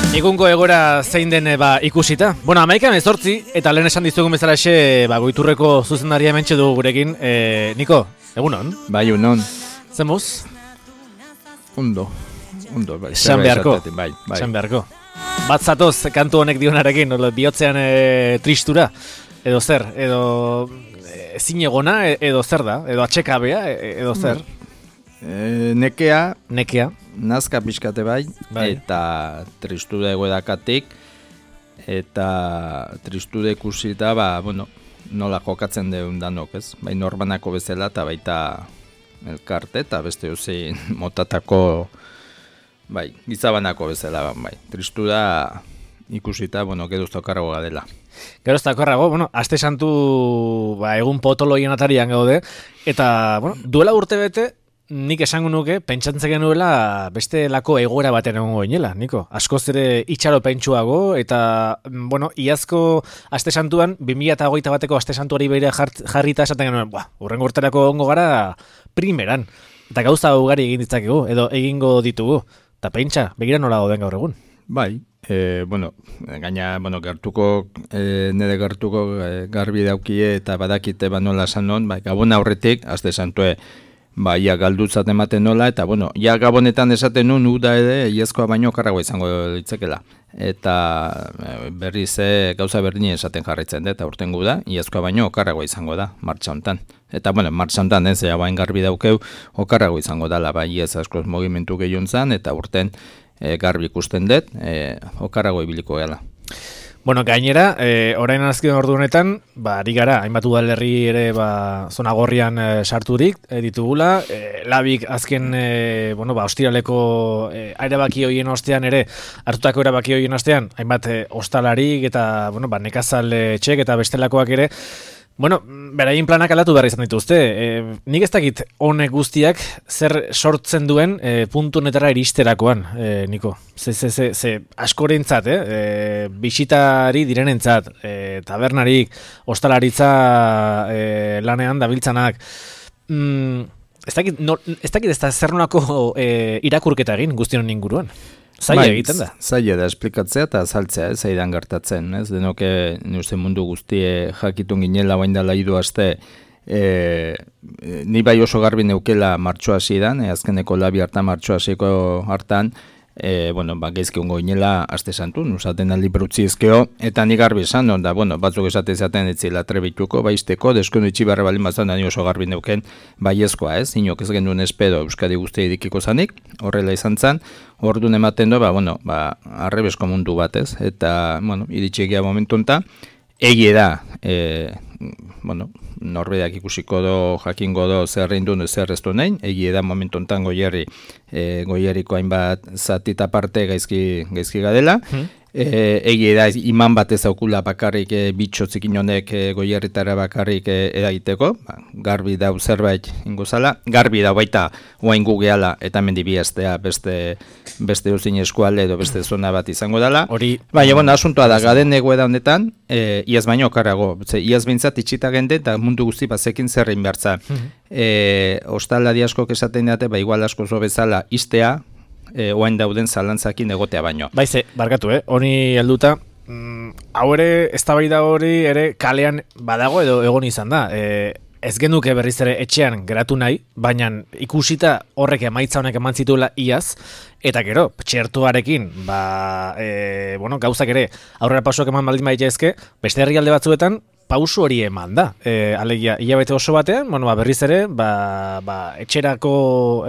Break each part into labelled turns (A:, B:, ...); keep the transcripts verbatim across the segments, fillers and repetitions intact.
A: Egungo egora zein den ba, ikusita. Bueno, amaikan ezortzi, eta lehen esan dizugun bezala xe, ba, Goiturreko zuzendaria mentxe du gurekin. E, Niko, egunon?
B: Bai, egunon.
A: Zemuz?
B: Ondo, ondo, bai.
A: Esan beharko,
B: bai, bai.
A: esan beharko. Bat zatoz kantu honek dionarekin, bihotzean e, tristura, edo zer, edo ezin egona, edo zer da, edo atxekabea, edo zer.
B: E, nekea,
A: Nekea.
B: nazka pixkate bai,
A: bai.
B: Eta tristude egoedakatik, eta tristude ikusita, ba, bueno, nola jokatzen deun danok, ez? Bai norbanako bezala, eta baita elkarte, eta beste hozein motatako, bai, gizabanako bezala, bai. Tristuda ikusita, bueno, geduzta okarrago gadela.
A: Gero ez dakorrago, bueno, aste santu ba, egun potoloien atarian gaude, eta, bueno, duela urte bete, nik esango nuke, pentsatzen genuela beste lako egoera baten egongo ginela, Niko. Askoz ere itxaro pentsuago, eta, bueno, iazko aste santuan, bi mila hogeita bateko aste santuari begira jarrita esaten genuen, buah, urrengo urterako egongo gara primeran. Eta gauza ugari egin ditzakegu, edo egingo ditugu. Eta pentsa, begira nola gauden gaur egun.
B: Bai, e, bueno, gaina, bueno, gertuko, e, nire gertuko e, garbi daukie eta badakite ba nola sanon, bai, gabon aurretik, aste santue, ba, ia galdutzat ematen nola, eta, bueno, ia gabonetan esaten nun, uda ere, iazkoa baino karrago izango ditzekela. Eta berriz gauza berdini esaten jarraitzen da, eta urtengu da, iazkoa baino okarrago izango da, martxa hontan. Eta, bueno, martxa hontan, ez, ja, bain garbi daukeu, okarrago izango dala, bai, iaz askoz mogimentu gehiun zan, eta urten e, garbi ikusten dut, e, okarrago ibiliko gela.
A: Bueno, gainera, e, orain azken ordu honetan, ba, ari gara, hainbat udalerri ere ba, zona gorrian e, sarturik e, ditugula, e, labik azken, e, bueno, ba, ostiraleko e, erabaki hoien ostean ere, hartutako erabaki hoien ostean, hainbat e, ostalarik eta, bueno, ba, nekazal txek eta bestelakoak ere, bueno, beraien planak aldatu behar izan dituzte. E, nik ez dakit honek guztiak zer sortzen duen e, puntu honetara iristerakoan, e, Niko. Ze, ze, ze, ze askorentzat, eh? E, bisitari direnentzat, e, tabernarik, ostalaritza e, lanean dabiltzanak. Mm, ez dakit, no, ez dakit ez da zer nolako e, irakurketa egin guztion inguruan. Zaila egiten da.
B: Zaila da esplikatzea eta azaltzea, ez zaidan gertatzen, ez? Denoke, uste mundu guztie jakitun ginela bain dela hiru aste, e, ni bai oso garbi neukela martxoa hasidan, e, azkeneko labi hartan martxoa hasiko hartan, e, bueno, ba, geizki ongo ginela aste santu, usaten aldi berutzi ezkeo, eta ni garbi esan, onda, bueno, batzuk esate zaten etzila trebituko, baizteko, deskundu itxibarra balin bazan, da ni oso garbi neuken, baiezkoa, ez? Inok ez genuen espedo Euskadi guztia idikiko zanik, horrela izan zan, orduan ematen du, ba, bueno, ba, arrebesko mundu bat, ez? Eta, bueno, iritxegia momentu enta, egie da, e, bueno, norbedak ikusiko do, jakingo do, zer reindun, zer ez du nahi, egie da momentu enten goierri, e, goierriko hainbat zatita parte gaizki, gaizki gadela, hmm. E, egie da iman bat ez aukula bakarrik e, bitxo txikin honek e, goierritara bakarrik e, eragiteko, ba, garbi dau zerbait ingozala, garbi dau baita oain gugeala eta mendi biaztea beste, beste uzin eskualde edo beste zona bat izango dela.
A: Hori,
B: baina, bueno, asuntoa da, gaden egoeda honetan, e, iaz baino okarrago, ze, iaz bintzat itxita gende eta mundu guzti bazekin zerrein behartza. Hmm. E, ostalari askok esaten dute, ba, igual asko zo bezala iztea, E, oain dauden zalantzakin egotea baino.
A: Baize, barkatu, eh? Honi helduta, mm, hau ere, eztabaida hori ere kalean badago edo egon izan da. E, ez genuke berriz ere etxean geratu nahi, baina ikusita horrek emaitza honek eman zituela iaz, eta gero, txertuarekin, ba, e, bueno, gauzak ere aurrera pausoak eman baldin baitezke, beste herrialde batzuetan, pausu hori eman da. E, alegia, hilabete oso batean, bueno, ba, berriz ere, ba, ba, etxerako,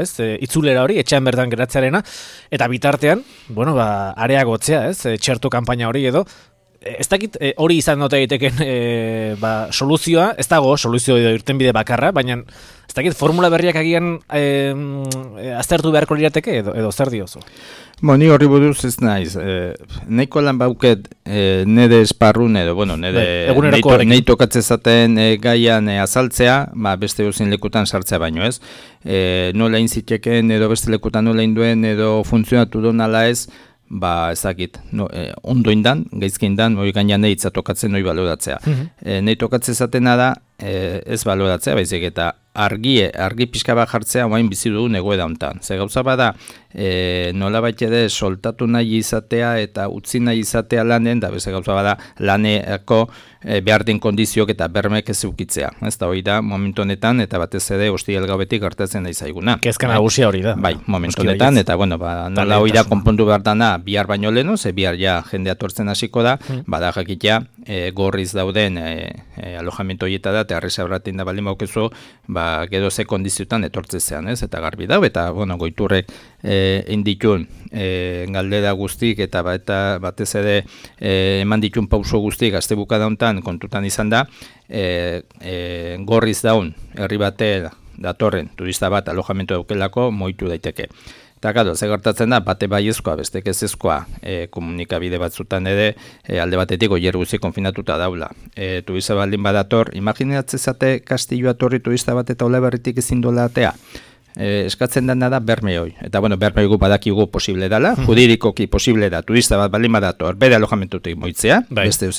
A: ez, e, itzulera hori, etxean bertan geratzearena, eta bitartean, bueno, ba, areagotzea, ez, e, txertu kanpaina hori edo, e, ez dakit e, hori izan note egiteken e, ba, soluzioa, ez dago soluzio edo irtenbide bakarra, baina ez dakit formula berriak agian e, e, aztertu beharko lirateke edo, edo zer diozu?
B: Bo, ni horri buruz ez naiz. E, Neiko lan bauket e, nede esparrun edo, bueno, nede nahi tokatze zaten e, gaian e, azaltzea, ba, beste uzin lekutan sartzea baino ez. E, nola inziteken edo beste lekutan nola induen edo funtzionatu do nala ez, ba, ezakit, no, e, ondo indan, gaizki indan, hori gainean nahi tokatzen hori baloratzea. Mm-hmm. E, nahi tokatze zatena da, e, ez baloratzea, baizik eta argi, argi pixka bat jartzea oain bizi dugu egoera hontan. Ze gauza bada, e, nola baita ere soltatu nahi izatea eta utzi nahi izatea lanen, da beste gauza bada laneko e, behar den kondizioak eta bermek ez eukitzea. Ez da hori da, momentu honetan, eta batez ere ostiral gaubetik gertatzen da izaiguna.
A: Kezka nagusia hori da.
B: Bai, momentu honetan, eta bueno, ba, nola hori da konpondu behar dana bihar baino leheno, ze bihar ja jendea tortzen hasiko da, hmm. bada jakitea e, gorriz dauden e, e, alojamentu horietara, eta arreza horretin da baldin baukezu, ba, gero ze kondiziotan etortzezean, ez? Eta garbi dau, eta bueno, goiturrek e, inditun e, galdera guztik, eta, ba, eta batez ere e, eman ditun pauso guztik, azte bukada hontan kontutan izan da, e, e, gorriz daun, herri bate datorren, turista bat alojamentu daukelako, moitu daiteke. Eta gado, ze gertatzen da, bate baiezkoa, bestek ezezkoa, e, komunikabide batzutan ere, e, alde batetik oier guzi konfinatuta daula. E, turista baldin badator, imaginatzezate Kastilloa torri turista bat eta ole berritik ezin dola atea. E, eskatzen dena da berme hoi. Eta bueno, berme hoi badakigu posible dela, mm. juridikoki posible da, turista bat baldin badator, bere alojamentutik moitzea, bai. Beste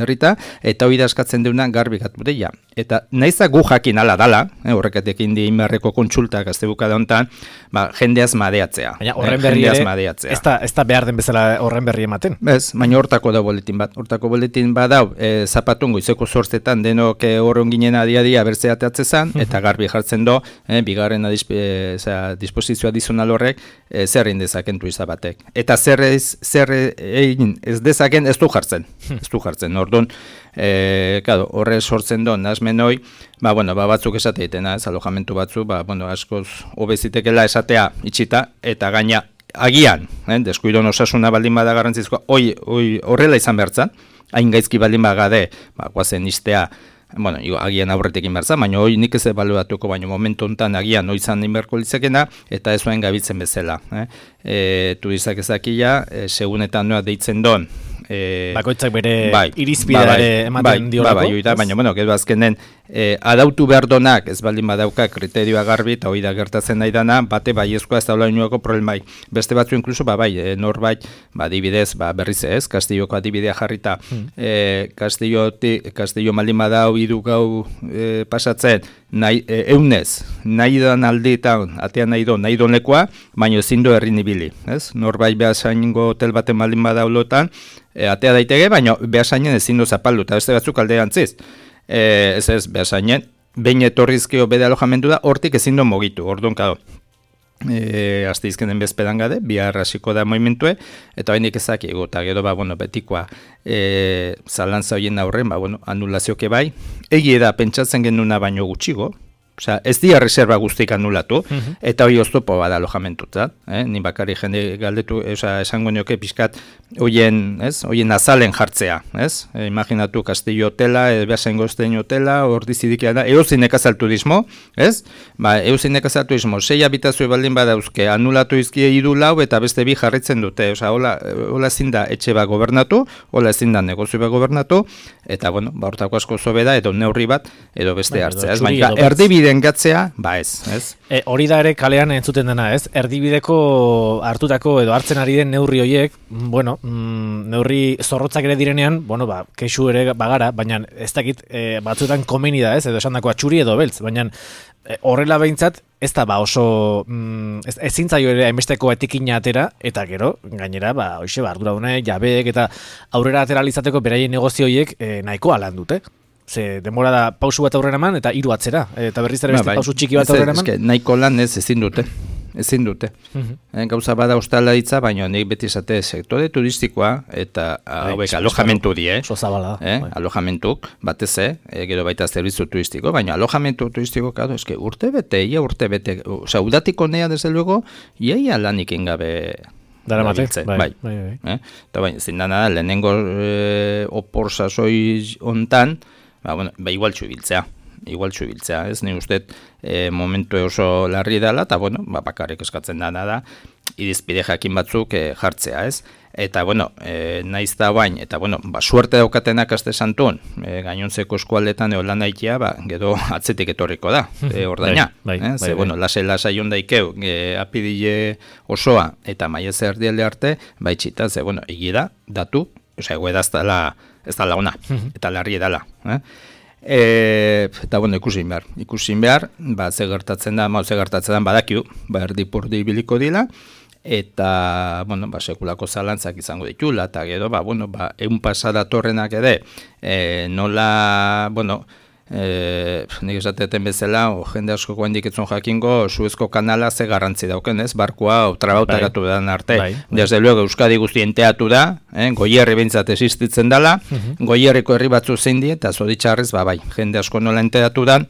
B: herrita, eta hori da eskatzen deuna garbikat budeia. Eta nahiza gu jakin ala dala, eh, horrekatek indi inbarreko kontsultak azte bukada honetan, ba, jendeaz madeatzea.
A: Baina horren berri ere, ez da, ez da behar den bezala horren berri ematen.
B: Bez, baina hortako da boletin bat. Hortako boletin bat dau, e, zapatun goizeko zortzetan denok horren ginen adia-dia bertzea teatzezan, eta garbi jartzen do, eh, bigarren adizpe, e, zera, disposizioa dizunal horrek, e, zer egin dezaken turista batek. Eta zer ez, zer egin ez dezaken ez du jartzen. Ez du jartzen, orduan, e, claro, horre sortzen do, nazmenoi, ba, bueno, ba, batzuk esate ditena, ez, alojamentu batzu, ba, bueno, askoz obezitekela esatea itxita, eta gaina agian, eh, deskuidon osasuna baldin bada garrantzizkoa, oi, oi, horrela izan behartzan, hain gaizki baldin bagade, ba, guazen istea, bueno, agian aurretekin berza, baina hoi nik ez ebaluatuko, baina momentu honetan agian oizan inberko litzakena, eta ez zuen gabitzen bezala. Eh? E, turistak ezakila, e, segunetan noa deitzen don.
A: E, Bakoitzak bere bai, irizpidare bai, ematen
B: bai,
A: diolako.
B: Bai, bai, baina, bueno, gero azkenen, e, adautu behar donak, ez baldin badauka kriterioa garbi, eta hoi da gertatzen nahi dana, bate baiezkoa ez daula inoako problemai. Beste batzu inkluso, ba, bai, e, norbait, ba, adibidez, ba, berriz ez, Kastilloko adibidea jarrita, hmm. e, Kastillo, Kastillo maldin badau, hiru gau e, pasatzen, nahi, e, eunez, nahi dan aldeetan, atean nahi do, nahi donekoa, baina ezin do herri nibili, ez? Norbait behasaingo hotel baten maldin badau lotan, e, atea daiteke, baina behasainen ezin do zapaldu, eta beste batzuk alderantziz. E, ez ez, behasainen, behin etorrizkio bede alojamendu da, hortik ezin do mogitu, orduan kado. E, azte izkenen bezpedan gade, bihar hasiko da moimentue, eta hainik ezak ego, eta gero, ba, bueno, betikoa e, zalantza horien aurren, ba, bueno, anulazioke bai, egie da, pentsatzen genuna baino gutxigo, osea, ez dia reserva guztik anulatu, uh-huh. eta hori oztopo bada alojamentuta, eh? Ni bakari jende galdetu, osea, esango nioke pixkat, hoien, ez, hoien azalen jartzea, ez? E, imaginatu Kastillo hotela, e, behasen goztein hotela, ordizidikia da, euzin ekazal turismo, ez? Ba, euzin ekazal turismo, sei habitazio baldin badauzke, anulatu izkie hiru lau, eta beste bi jarritzen dute, osea, hola, hola ezin da etxe bat gobernatu, hola ezin da negozio bat gobernatu, eta, bueno, ba, hortako asko zobe da, edo neurri bat, edo beste ba, hartzea, ez? Baina, erdibide gatzea, ba ez, ez?
A: E, hori da ere kalean entzuten dena, ez? Erdibideko hartutako edo hartzen ari den neurri horiek, bueno, mm, neurri zorrotzak ere direnean, bueno, ba, kexu ere bagara, baina ez dakit e, batzuetan komeni da, ez? Edo esan dako atxuri edo beltz, baina e, horrela behintzat, ez da ba oso, mm, ez, ez zintzaio ere hainbesteko etikina atera, eta gero, gainera, ba, hoxe, ba, arduradune, jabeek, eta aurrera atera alitzateko beraien negozioiek e, nahiko alan dute. Ze demora da pausu bat aurrera eman eta hiru atzera. Eta berriz ere beste ba, pausu txiki bat aurrera eman.
B: Ez, nahiko lan ez ezin dute. Ezin dute. Uh-huh. E, gauza bada ostalaritza, baina nik beti esate sektore turistikoa eta hauek alojamentu die.
A: Oso zabala.
B: Eh? Alojamentuk, batez, e, gero baita zerbitzu turistiko, baina alojamentu turistiko, claro, eske urte bete, ia urte bete. Osea, udatiko nea, desde luego, iaia lanik ingabe...
A: Dara mate, bai,
B: bai, bai, bai. Eh? Eta bai, zindana da, lehenengo e, opor sasoi ontan, ba, bueno, ba, igual txubiltzea, igual txubiltzea, ez, ni uste e, momentu oso larri dela, eta, bueno, ba, bakarrik eskatzen dana da, irizpide jakin batzuk e, jartzea, ez, eta, bueno, e, naiz da bain, eta, bueno, ba, suerte daukatenak aste santun, e, gainontzeko eskualdetan eolan daikia, ba, gero atzetik etorriko da, e, ordaina,
A: bai, bai,
B: eh? Ze,
A: bai,
B: bueno, lase lasai ondaikeu, e, apidile osoa, eta maiez erdialde arte, ba, itxita, ze, bueno, egi da, datu, osea, ego edaz dala, ez da ona, eta larri edala. Eh? E, eta bueno, ikusin behar, ikusin behar, ba, ze gertatzen da, ma, ze gertatzen da, badakiu, ba, erdi-purdi biliko dila, eta, bueno, ba, sekulako zalantzak izango ditula, eta gero, ba, bueno, ba, egun pasada torrenak ere, e, nola, bueno, E, nik esateten bezala, o, jende asko guendik etzun jakingo, Suezko kanala ze garrantzi dauken, ez? Barkua trabautaratu bai. Dan arte. Bai, bai. Desde luego, Euskadi guztien teatu da, eh? Goierri behintzat existitzen dela, uh-huh. Goierriko herri batzu zein die, eta zoditxarrez, ba, bai, jende asko nola enteatu da,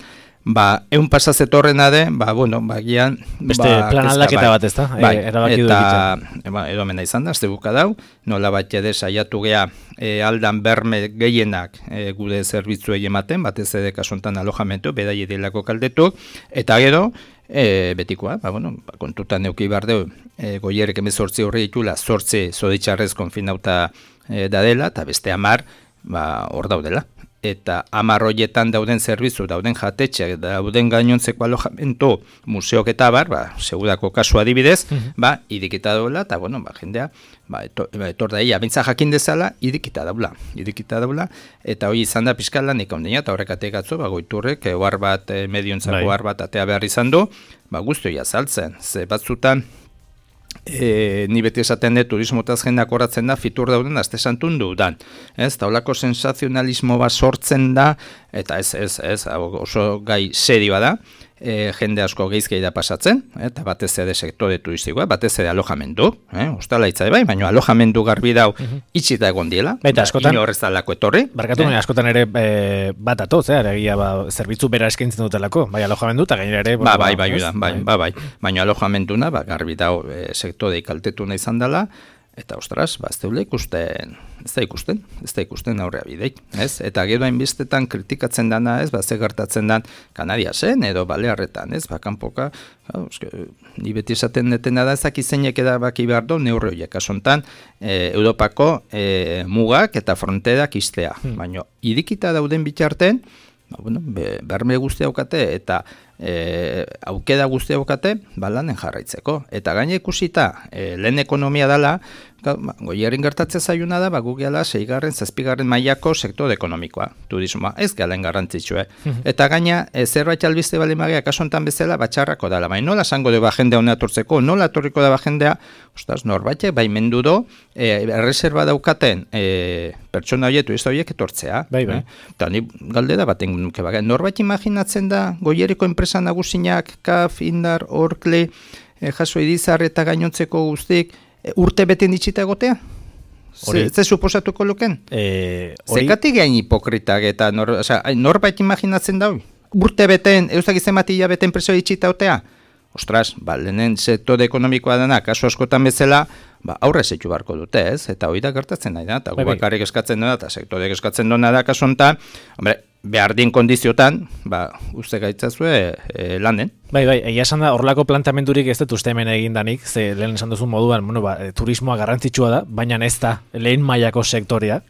B: ba, egun pasazetorrena de, ba, bueno, ba, gian...
A: Beste ba, plan aldaketa bai. Bat, ez da?
B: Bai, e, eta, ba, edo mena izan da, azte buka dau, nola bat jede saiatu gea e, aldan berme gehienak e, gude zerbitzuei ematen, batez ere kasontan alojamentu, bedai edilako kaldetuk, eta gero, e, betikoa, ba, bueno, ba, kontutan neuki bardeu, e, goierrek emezortzi horri ditula, zortzi zoditxarrez konfinauta e, dadela, eta beste amar, ba, hor daudela. Eta hamar horietan dauden zerbitzu, dauden jatetxeak, dauden gainontzeko alojamentu, museok eta bar, ba, segudako kasu adibidez, uh-huh. ba, idikita daula, eta, bueno, ba, jendea, ba, etor, ba, etor da ia, bintza jakin dezala, idikita daula, idikita daula, eta hori izan da pizkal lanik ondina, eta horrek ategatzo, ba, goiturrek, ohar bat, e, mediontzako ohar bat atea behar izan du, ba, guztu azaltzen, ze batzutan, E, ni beti esaten dut turismotaz jendak horatzen da fitur dauden aste santun dudan. Ez, taulako sensazionalismo bat sortzen da, eta ez, ez, ez, oso gai serioa da, e, jende asko geizkei da pasatzen, eta batez ere sektore turistikoa, batez ere alojamendu, eh, ostalaitza bai, baina alojamendu garbi dau uh-huh. itxita egon diela,
A: baita askotan,
B: ino horrezalako etorri.
A: Barkatu, eh? Askotan ere e, bat atoz, eh, egia, ba, zerbitzu bera eskaintzen dutelako, bai alojamendu, eta gainera ere...
B: Ba, bai, bai, bai, bai, bai, bai, baina alojamenduna, ba, garbi dau e, sektore kaltetu nahi izan dela, eta ostras, ba, ez deule ikusten, ez da ikusten, ez da ikusten aurrea bideik, ez? Eta gero hainbestetan kritikatzen dana, ez, ba, ze gertatzen dan Kanadiasen edo Balearretan, ez, ba, kanpoka, ja, eske, ni beti esaten detena da, ezak izeinek edabaki behar du, neurri horiek, asontan, e, Europako e, mugak eta fronterak iztea, hmm. baina idikita dauden bitarten, ba, bueno, be, berme guztia aukate, eta e, aukeda guztia aukate, ba, lanen jarraitzeko. Eta gaine ikusita, e, lehen ekonomia dela, ba, goierrin gertatzen zaiuna da, ba, gugeala seigarren, zazpigarren mailako sektore ekonomikoa, turismoa, ez galen garrantzitsue. Eta gaina, e, zerbait albiste bali magia, kasontan bezala, batxarrako dela. Baina nola zango de ba jendea hona atortzeko, nola atorriko da ba jendea, ostaz, norbaitek, bai mendu do, e, erreserba daukaten e, pertsona horiek, turista horiek etortzea. Bai, bai. Eh? Eta ni galdera baten nuke, ba, norbait imaginatzen da, goierriko enpresa nagusinak, Kaf, Indar, Orkle, e, Jaso Idizar eta gainontzeko guztik, urte beten ditxita egotea? Ze, ze suposatuko luken? E, Zekatik gain hipokritak eta nor, oza, norbait imaginatzen da? Urte beten, eustak izematia beten preso ditxita egotea? Ostras, ba, lehenen sektore ekonomikoa dena, kasu askotan bezala, ba, aurre zeitu barko dute, ez? Eta hori da gertatzen nahi da, eta gu bakarrik eskatzen dena, eta sektorek eskatzen dena da kasu honetan, hombre, behar dien kondiziotan, ba, uste gaitzazue e, lanen.
A: Bai, bai, egia esan da, horrelako plantamendurik ez dut uste hemen egin danik, ze lehen esan duzun moduan, bueno, ba, turismoa garrantzitsua da, baina ez da lehen mailako sektorea,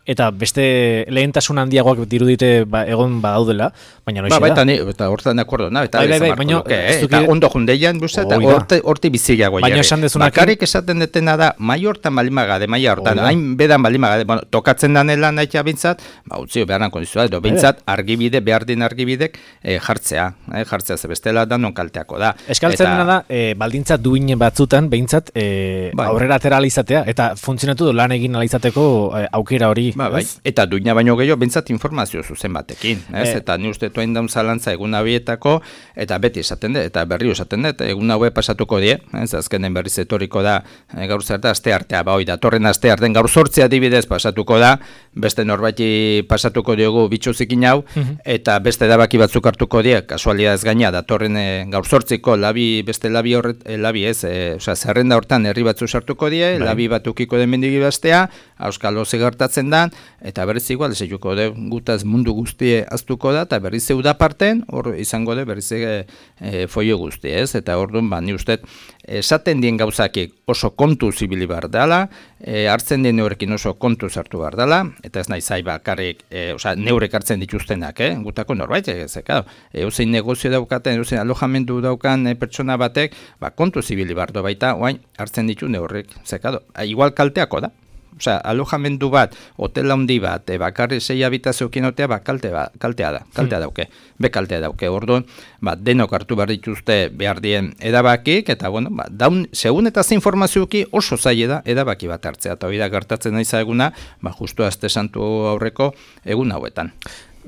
A: eta beste lehentasun handiagoak dirudite ba, egon badaudela, baina noixe
B: ba,
A: da.
B: Ba, eta hortan de acuerdo, na, eta,
A: bai, bai, bai, baina,
B: luke, eh? Eta ondo jundeian, buza, eta horti, horti biziago
A: baina esan dezunak...
B: Bakarrik esaten detena da, mai hortan balimagade, mai hortan, hain bedan balimagade, bueno, tokatzen danela nahitea bintzat, ba, utzio beharan kondizioa, edo bintzat, argibide, behar din argibidek e, jartzea, e, jartzea ze bestela da non kalteako da.
A: Eskaltzen eta... da, e, baldintza duin batzutan, behintzat, e, bai. Aurrera atera alizatea, eta funtzionatu du lan egin alizateko e, aukera hori.
B: Ba, bai. Eta duina baino gehiago, behintzat informazio zuzen batekin, ez? E... Eta ni uste toain daun zalantza egun abietako, eta beti esaten dut, eta berri esaten dut, egun haue pasatuko die, ez? Azkenen berriz etoriko da, e, gaur zer da, aste artea, ba, hoi, datorren aste artean gaur sortzea adibidez pasatuko da, beste norbaiti pasatuko diogu bitxuzikin hau, uh-huh. eta beste dabaki batzuk hartuko die, kasualidadez gaina, datorren e, gaur sortziko, labi, beste labi horret, e, labi ez, e, oza, zerrenda hortan herri batzu sartuko die, bai. Labi batukiko den mendigi bastea, auskalo gertatzen dan, eta berriz igual, zeituko de, gutaz mundu guztie aztuko da, eta berriz zeu da parten, hor izango de, berriz e, e, foio guzti, ez, eta hor duen, ba, ni uste, esaten dien gauzakik oso kontu zibili behar dela, e, hartzen dien neurekin oso kontu zartu behar dela, eta ez nahi zai bakarrik, e, oza, neurek hartzen dituztenak, eh, gutako norbait, ez, eka, e, eusein negozio daukaten, eusein alojamendu daukan e, pertsona batek, ba, kontu zibili behar du baita, oain, hartzen ditu neurrek, zekado, igual kalteako da, Osea, alojamendu bat, hotel handi bat, e, bakarri sei habitazioekin otea, ba, kalte ba, kaltea da, kaltea dauke, be kaltea dauke, orduan, ba, denok hartu behar dituzte behar dien edabakik, eta, bueno, ba, daun, segun eta ze informazioki oso zaila da edabaki bat hartzea, eta hori da gertatzen nahi eguna, ba, justu Aste Santu aurreko egun hauetan.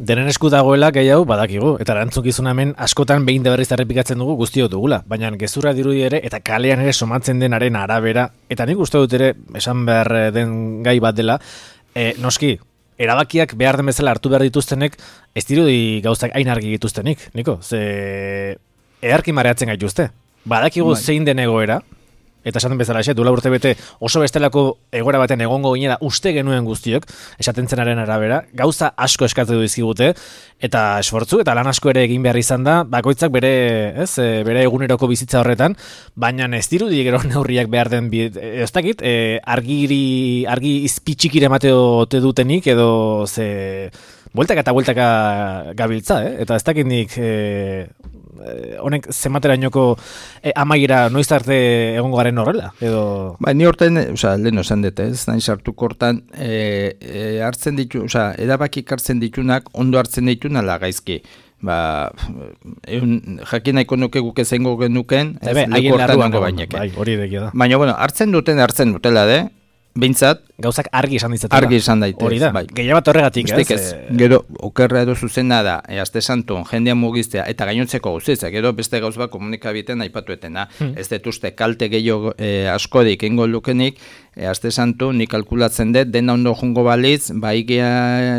A: Denen esku dagoela gehiago badakigu, eta erantzukizun hemen askotan behin de berriz errepikatzen dugu guztiok dugula, baina gezurra dirudi ere eta kalean ere somatzen denaren arabera, eta nik uste dut ere esan behar den gai bat dela, e, noski, erabakiak behar den bezala hartu behar dituztenek, ez dirudi gauzak hain argi dituztenik, niko, ze eharki mareatzen gaituzte. Badakigu bai. Zein den egoera, eta esaten bezala, xe, duela urte bete oso bestelako egoera baten egongo ginela uste genuen guztiok, esaten zenaren arabera, gauza asko eskatu dizkigute, eta esfortzu, eta lan asko ere egin behar izan da, bakoitzak bere, ez, bere eguneroko bizitza horretan, baina ez dirudi gero neurriak behar den, ez dakit, e, argiri, argi izpitxikire emate ote dutenik, edo ze, bueltaka eta bueltaka gabiltza, eh? Eta ez dakit nik, e, honek zenbaterainoko e, amaiera noiz arte egongo garen horrela edo
B: ba ni horten, osea, leno esan dut, ez nahi sartuko hortan e, e, hartzen ditu, osea, erabakik hartzen ditunak ondo hartzen dituna la gaizki. Ba, eun, jakin nahiko nuke guke zengo genuken, ez leku hortan nango baineke.
A: Bai, hori dekia da.
B: Baina, bueno, hartzen duten hartzen dutela, de, bintzat,
A: gauzak argi esan ditzatela.
B: Argi esan daitez.
A: Hori da, bai. Gehiago bat horregatik, ez?
B: ez. Gero, okerra edo zuzena da, e, Aste Santun, jendea mugiztea, eta gainontzeko guztitzak, gero beste gauz bat komunikabiten aipatuetena. Hmm. Ez dut uste kalte gehiago e, askodik ingo lukenik, e, Aste Santu, nik kalkulatzen dut, dena ondo jungo balitz, bai gea,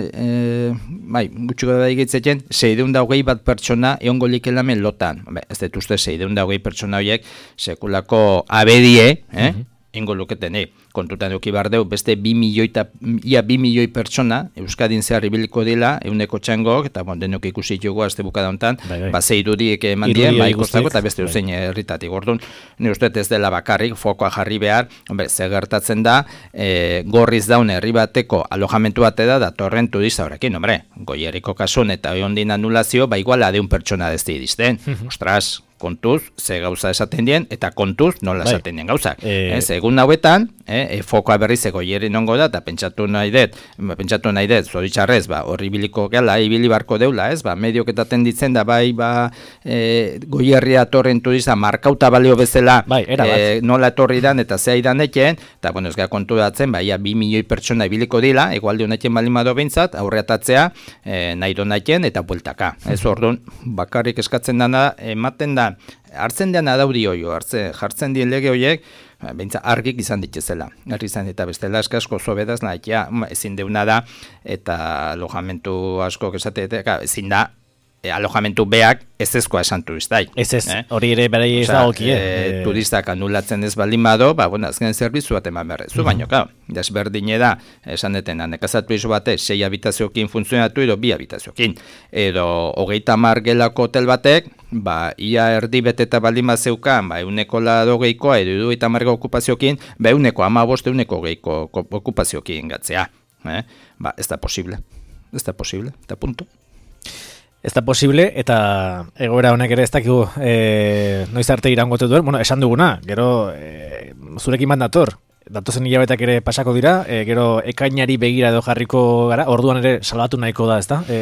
B: e, bai, gutxiko da egitzen, seideun da hogei bat pertsona egongo likelamen lotan. Be, ez dut uste seideun da hogei pertsona horiek sekulako abedie, eh? Hmm. Ingo luketene, kontutan eduki behar deu, beste bi milioi eta ia bi milioi pertsona Euskadin zehar ibiliko dela, euneko txangok, eta bon, denok ikusi dugu azte bukada honetan, bai, bai. Ba, ze irudiek eman dien, ba, ikustako, eta beste uzein herritatik. Orduan, ni uste ez dela bakarrik, fokoa jarri behar, hombre, ze gertatzen da, e, gorriz daun herri bateko alojamentu bate da, da torren turista horrekin, hombre, Goierriko kasun eta ondin anulazio, ba, igual adeun pertsona dezti dizten, ostras, kontuz, ze gauza esaten dien, eta kontuz nola bai. Esaten dien gauzak. E... Ez, egun hauetan, eh, e, fokoa berrizeko Goierri nongo da, eta pentsatu nahi dut, pentsatu nahi dut, zoritxarrez, ba, horri biliko gela, ibili barko deula, ez, ba, mediok eta tenditzen da, bai, ba, e, Goierri atorren turista markauta balio bezala, bai, e, nola etorri dan, eta zea idan eken, eta, bueno, ez gara kontu datzen, ba, ia, bi milioi pertsona ibiliko dila, egualde honetien balimado bintzat, aurreatatzea, e, nahi do nahien, eta bueltaka. Ez, orduan, bakarrik eskatzen dana, ematen da, hartzen dean adaudi hoio, hartzen, jartzen dien lege horiek, bentsa argik izan ditzezela. Argi izan eta bestela asko zobedaz, nahikia, ezin deuna da, eta alojamentu asko esateetek, ezin da, E, alojamentu beak ez ezkoa esan turistai.
A: Ez ez, eh? Hori ere bere ez da okie.
B: E, turistak anulatzen ez baldin bado, ba, bueno, azken zerbitzu bat eman berre. Zu uh-huh. baino, kao, desberdine da, esan detena, nekazat turismo bate, sei habitaziokin funtzionatu edo bi habitaziokin. Edo, hogeita mar gelako hotel batek, ba, ia erdi beteta baldin bat zeukan, ba, euneko lado geikoa, edo eta marga okupaziokin, ba, euneko amabost, euneko geiko okupaziokin gatzea. Eh? Ba, ez da posible. Ez da posible, eta punto.
A: Ez da posible, eta egoera honek ere ez dakigu e, noiz arte irangote duen, bueno, esan duguna, gero e, zurekin bat dator, datozen hilabetak ere pasako dira, e, gero ekainari begira edo jarriko gara, orduan ere salbatu nahiko da, ez da? E,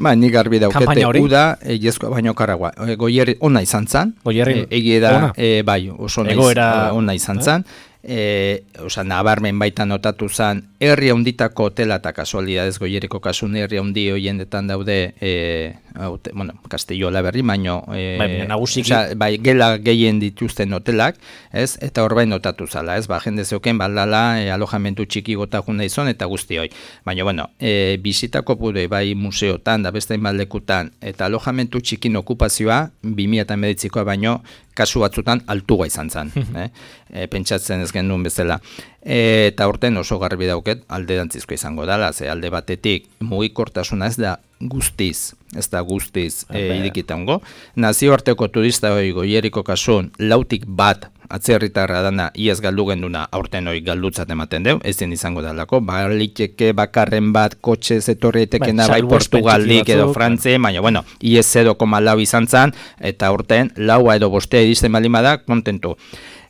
B: ba, nik garbi daukete, uda, e, jezko baino karagua, e, Goierri ona izan zan, e, egie da, e, bai, oso ona, ona izan zan, E, oza, nabarmen baita notatu zan, herri handitako hotela eta kasualidadez Goierriko kasun herri handi hoiendetan daude, e, haute, bueno, Castillola berri, baino, e,
A: bai, nagusiki,
B: oza, bai, gela gehien dituzten hotelak, ez, eta hor bai notatu zala, ez, ba, jende zeuken baldala, e, alojamentu txiki gota juna izan eta guzti hoi. Baina, bueno, e, bizitako pure, bai, museotan, da beste inbaldekutan, eta alojamentu txikin okupazioa, bi mila hemeretzikoa baino, kasu batzutan altua izan zen, eh? E, pentsatzen ez genuen bezala. E, eta horten oso garbi dauket alderantzizko izango dela, ze alde batetik mugikortasuna ez da guztiz, ez da guztiz e, irikitango. Nazioarteko turista hori Goierriko kasun lautik bat atzerritarra dana iaz galdu genduna aurten hori galdutzat ematen deu, ezin izango dalako, baliteke bakarren bat kotxe zetorrietekena bai, bai Portugaldik edo Frantze, baina bueno, iez zero koma lau izan zan, eta aurten laua edo bostea iristen balima da, kontentu.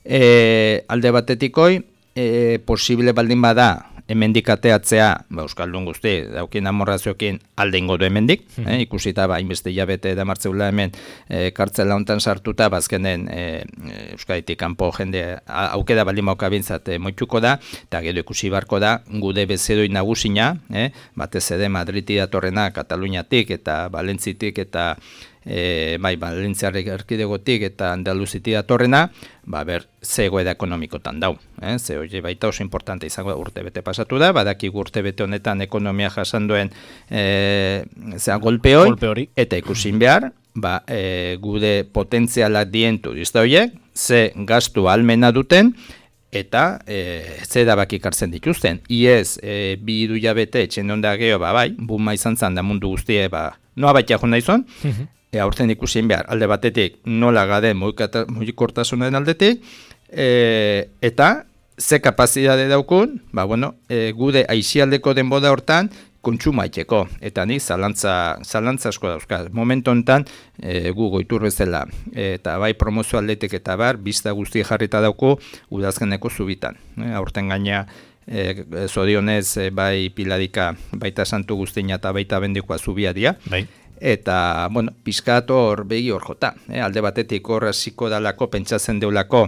B: E, alde batetikoi, e, posible baldin bada, hemendik ateatzea, ba, Euskaldun guzti, daukien amorrazioekin alde ingo du hemendik, mm. eh, ikusita, ba, inbeste jabete da martzeula hemen e, kartzela hontan sartuta, bazkenen e, Euskaditik kanpo jende aukeda baldin mauka bintzat e, moituko da, eta gero ikusi barko da, gude bezedoi nagusina, eh, batez ere Madridi datorrena, Kataluniatik eta Valentzitik eta E, bai, Valentziarrek erkidegotik eta Andaluziti datorrena, ba, ber, ze egoera ekonomikotan dau. Eh? Ze hori baita oso importante izango da, urte bete pasatu da, badaki urte bete honetan ekonomia jasan duen e, zera, golpe hori, eta ikusin behar, ba, e, gude potentzialak dien turista horiek, ze gastu almena duten, eta e, ze dabakik hartzen dituzten. Iez, e, bi idu jabete etxen onda geho, ba, bai, buma izan zan da mundu guztie, ba, noa baita jona izan, E, aurten ikusien behar, alde batetik nola gade mugikortasunaren aldetik, e, eta ze kapazidade daukun, ba, bueno, e, gude aixialdeko denboda hortan, kontsuma itxeko, eta nik zalantza, zalantza asko dauzka. Momentu honetan, e, gu goitur bezala, e, eta bai promozio aldetik eta bar, bizta guzti jarrita dauku, udazkeneko zubitan. E, aurten gaina, e, zorionez, e, bai piladika, baita santu guztina eta baita bendikoa zubia dia.
A: Bai.
B: Eta, bueno, pizkat hor begi hor jota. Eh? Alde batetik hor hasiko dalako, pentsatzen deulako,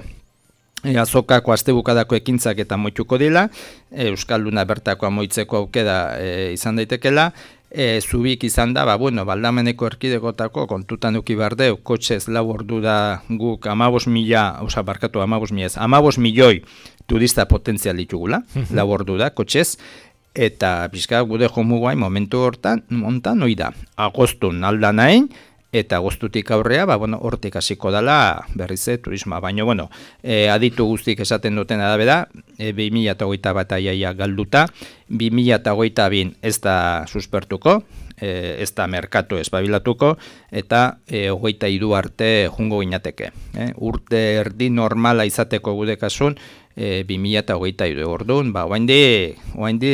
B: e, azokako astebukadako ekintzak eta moituko dila, e, Euskalduna bertako amoitzeko aukeda e, izan daitekela, e, zubik izan da, ba, bueno, baldameneko erkidegotako kontutan duki bardeu, kotxez lau ordu da guk amabos mila, oza, barkatu amabos mila ez, amabos milioi turista potentzial ditugula, lau ordu da, kotxez, eta pixka gude jomuguain momentu hortan, montan hoi da, agostun aldan hain, eta agostutik aurrea, ba, bueno, hortik hasiko dela berrize turisma, baina, bueno, e, aditu guztik esaten duten arabera, e, bi mila hogeita bat aiaia galduta, bi mila hogeita bin ez da suspertuko, e, ez da merkatu espabilatuko, eta e, hogeita hiru arte jungo ginateke. E, urte erdi normala izateko gude kasun, E, bi mila hogeita hiru orduan, ba, oaindi, oaindi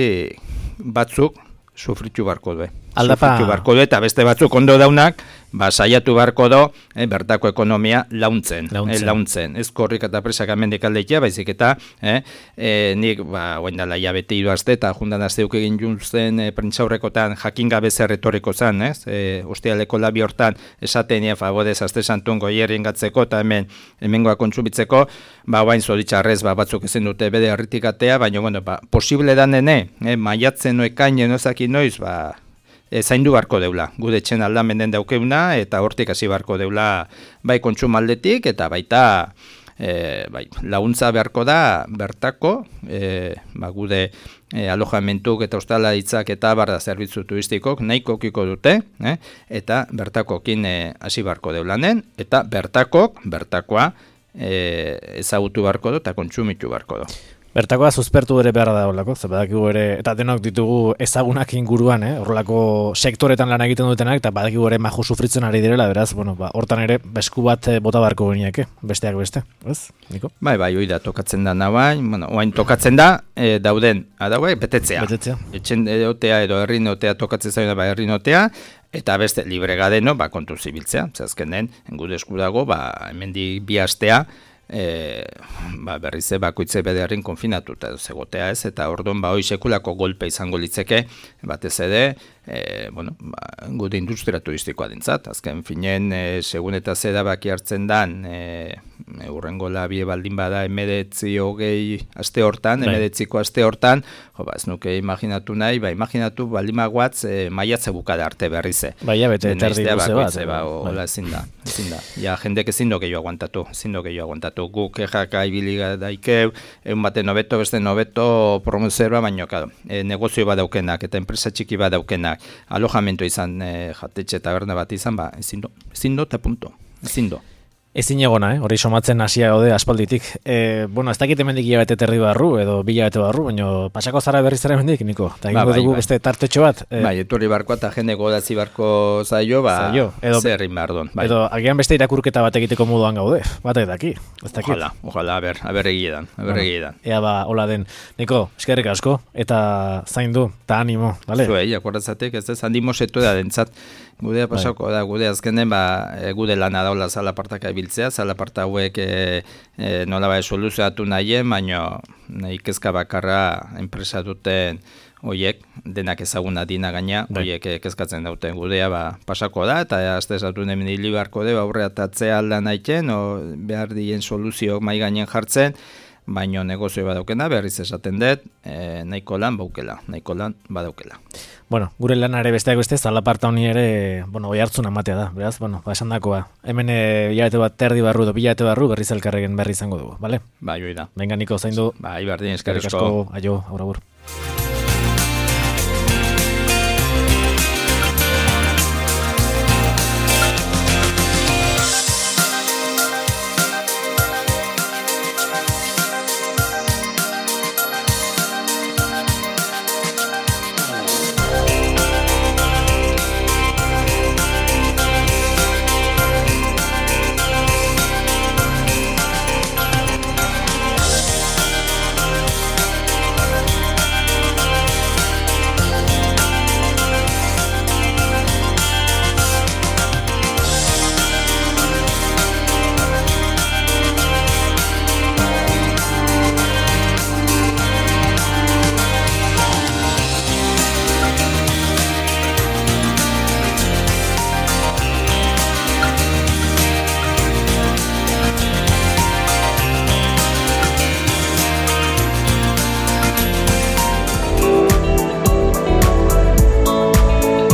B: batzuk sufritu barko du.
A: Aldapa...
B: Sufritu barko du, eta beste batzuk ondo daunak, ba, saiatu barko do, eh, bertako ekonomia launtzen. Launtzen. Eh, launtzen. Ez korrik eta presak amendik aldeitea, baizik eta, eh, eh, nik, ba, oaindala jabete hiru aste, eta jundan asteuk egin juntzen e, prentsaurrekotan jakin gabe zer retoriko zan, ez? E, Ostialeko labi hortan esaten nien fagodez aste santun goierien gatzeko, eta hemen, hemengoa kontsumitzeko, ba, oain zoritxarrez, ba, batzuk ezin dute bede harritikatea, baina, bueno, ba, posible dan dene, eh, maiatzen noekainen ozaki noiz, ba, E, zaindu barko deula, gude etxen aldamenden daukeuna, eta hortik hasi barko deula bai kontsumaldetik, eta baita e, bai, laguntza beharko da bertako, e, ba, gude e, alojamentuk eta ostalaritza eta barda zerbitzu turistikok nahiko kiko dute, eh? Eta bertakokin e, hasi barko deulanen, eta bertakok, bertakoa e, ezagutu barko du eta kontsumitu barko du.
A: Bertakoa suspertu ere behar da horlako, badakigu ere, eta denok ditugu ezagunak inguruan, eh? Horrelako sektoretan lan egiten dutenak, eta badakigu ere maju sufritzen ari direla, beraz, bueno, ba, hortan ere, besku bat bota barko geniak, besteak beste, ez, Niko?
B: Bai, bai, hoi da, tokatzen da nabain, bueno, oain tokatzen da, e, dauden, adaue, betetzea. Betetzea. Etxen edotea edo herri notea tokatzen zaino, ba, herri notea, eta beste libre gadeno, ba, kontu zibiltzea, zazkenen, engude esku dago, ba, hemendik bi astea, E, ba, berrize bakoitze bederrin konfinatuta zegotea ez, eta orduan ba, hoi sekulako golpe izango litzeke, batez ere, e, bueno, ba, gude industria turistikoa dintzat, azken finen, e, segun eta zeda baki hartzen dan, e, urrengo labie baldin bada emedetzi hogei aste hortan, emedetziko aste hortan, jo, ba, ez nuke imaginatu nahi, ba, imaginatu baldin maguatz e, maiatze bukada arte berrize.
A: Baina, bete, terdi luze bat.
B: Ba, hola, ezin da, ezin da. Ja, jendek ezin do gehiago aguantatu, ezin do gehiago aguantatu. Guk ejaka ibiliga daikeu, egun bate nobeto, beste nobeto promozerua, baino, kado, e, negozio badaukenak, eta enpresa txiki badaukenak, alojamento izan, e, jatetxe eta berne bat izan, ba, ezin do, ezin do, eta punto, ezin do.
A: Ezin egona, eh? Hori somatzen hasia gaude aspalditik. E, bueno, ez dakit hemendik hilabete terdi barru, edo bilabete barru, baina pasako zara berriz zara hemendik, Niko? Eta ba, bai, dugu bai. Beste tartetxo bat. E,
B: bai, etorri barkoa eta jende godazi barko zaio, ba, zaio. Edo, zerrin behar duen. Bai.
A: Edo, agian beste irakurketa bat egiteko moduan gaude, bat edaki, ez dakit.
B: Ojalá, ojalá, aber, aber egiedan, aber egiedan.
A: Ea ba, hola den. Niko, eskerrik asko, eta zaindu, eta animo, bale?
B: Zuei, akordatzatek, ez ez, handimo setu da dentzat. Gudea pasako da, gude azkenen, ba, gude lana daula zalapartaka ibiltzea, zalaparta hauek e, e, nola bai soluzioatu nahien, baina nahi kezka bakarra enpresa duten oiek, denak ezaguna dina gaina, oiek kezkatzen dauten gudea, ba, pasako da, eta azte esatu hemen hili beharko de, aurre atatzea aldan aiten, o behar dien soluzioak mai gainen jartzen, baino negozio badaukena, berriz esaten dut, e, nahiko lan baukela, nahiko lan badaukela.
A: Bueno, gure lanare besteak beste, zalaparta honi ere, bueno, oi hartzun amatea da, beraz, bueno, ba, esan dakoa. Hemen e, hilabete bat terdi barru, do bilabete barru, berriz elkarregen berri izango dugu, bale?
B: Bai, hoi da.
A: Venga, Niko, zaindu.
B: Bai, bardin, eskerrik
A: asko. Aio, aur, agur.